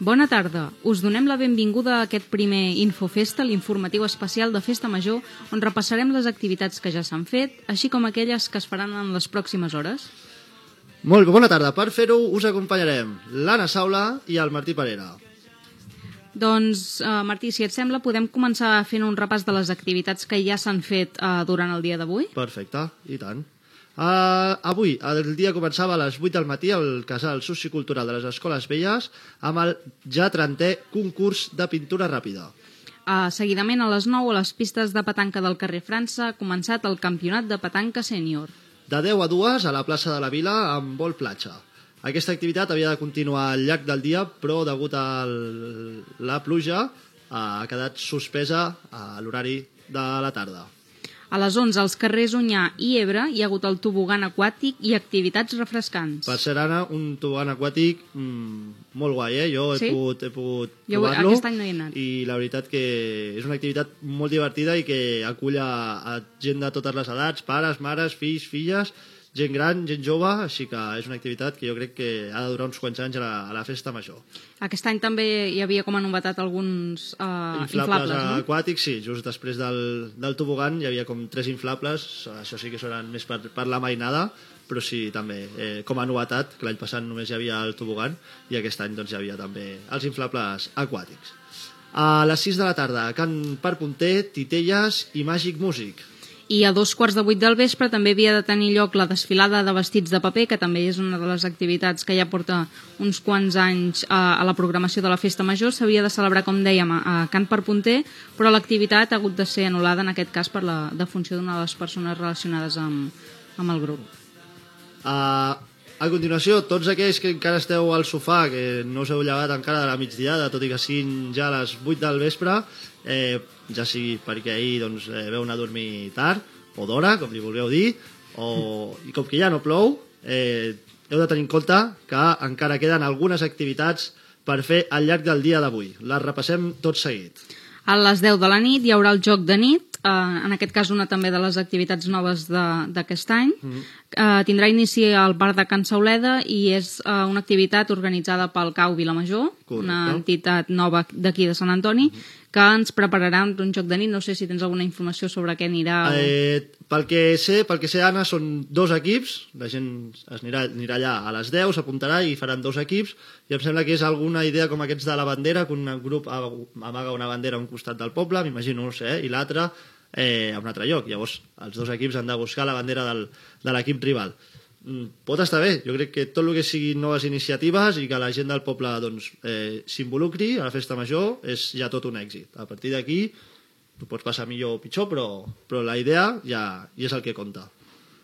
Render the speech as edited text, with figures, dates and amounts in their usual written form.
Bona tarda. Us donem la benvinguda a aquest primer Infofesta, l'informatiu especial de Festa Major, on repassarem les activitats que ja s'han fet, així com aquelles que es faran en les pròximes hores. Molt bé, bona tarda. Per fer-ho us acompanyarem l'Anna Saula i el Martí Parera. Doncs, Martí, si et sembla, podem començar fent un repàs de les activitats que ja s'han fet durant el dia d'avui? Perfecte, i tant. Avui, el dia començava a les 8 del matí al Casal Sociocultural de les Escoles Velles amb el ja 30è concurs de pintura ràpida. Seguidament, a les 9, a les pistes de petanca del carrer França, ha començat el campionat de petanca sènior. De 10 a 2 a la plaça de la Vila amb vol platja. Aquesta activitat havia de continuar al llarg del dia, però degut a la pluja ha quedat suspesa a l'horari de la tarda. A les 11, als carrers Onyar i Ebre, hi ha hagut el tobogan aquàtic i activitats refrescants. Per ser, Anna, un tobogan aquàtic molt guai, eh? Jo he pogut provar-lo. Aquest any no hi he anat. I la veritat que és una activitat molt divertida i que acull a gent de totes les edats, pares, mares, fills, filles, gent gran, gent jove, així que és una activitat que jo crec que ha de durar uns quants anys a la festa major. Aquest any també hi havia com a novetat alguns inflables, no? Aquàtics, sí, just després del tobogan hi havia com 3 inflables, això sí que seran més per la mainada, però sí, també, com a novetat, que l'any passat només hi havia el tobogan i aquest any doncs, hi havia també els inflables aquàtics. A les 6 de la tarda, Cant per Punter, Titelles i Màgic Músic. I a 7:45 del vespre també havia de tenir lloc la desfilada de vestits de paper, que també és una de les activitats que ja porta uns quants anys a la programació de la Festa Major. S'havia de celebrar, com dèiem, a Cant per Punter, però l'activitat ha hagut de ser anul·lada en aquest cas per la defunció d'una de les persones relacionades amb el grup. A continuació, tots aquells que encara esteu al sofà, que no us heu llevat encara de la migdiada, tot i que siguin ja a les 8 del vespre, ja sigui perquè ahir veu anar a dormir tard, o d'hora, com li vulgueu dir, i com que ja no plou, heu de tenir en compte que encara queden algunes activitats per fer al llarg del dia d'avui. Les repassem tot seguit. A les 10 de la nit hi haurà el joc de nit, en aquest cas una també de les activitats noves d'aquest any. Tindrà inici al bar de Can Sauleda i és una activitat organitzada pel CAU Vilamajor, una entitat nova d'aquí de Sant Antoni, que ens prepararà un joc de nit. No sé si tens alguna informació sobre què anirà. Pel que sé, Anna, són 2 equips, la gent anirà allà a les 10, s'apuntarà i faran 2 equips, i em sembla que és alguna idea com aquests de la bandera, que un grup amaga una bandera a un costat del poble, m'imagino, no sé, i l'altre a un altre lloc. Llavors, els 2 equips han de buscar la bandera de l'equip rival. Pot estar bé, jo crec que tot el que siguin noves iniciatives i que la gent del poble s'involucri a la festa major és ja tot un èxit. A partir d'aquí ho pots passar millor o pitjor, però la idea ja és el que compta.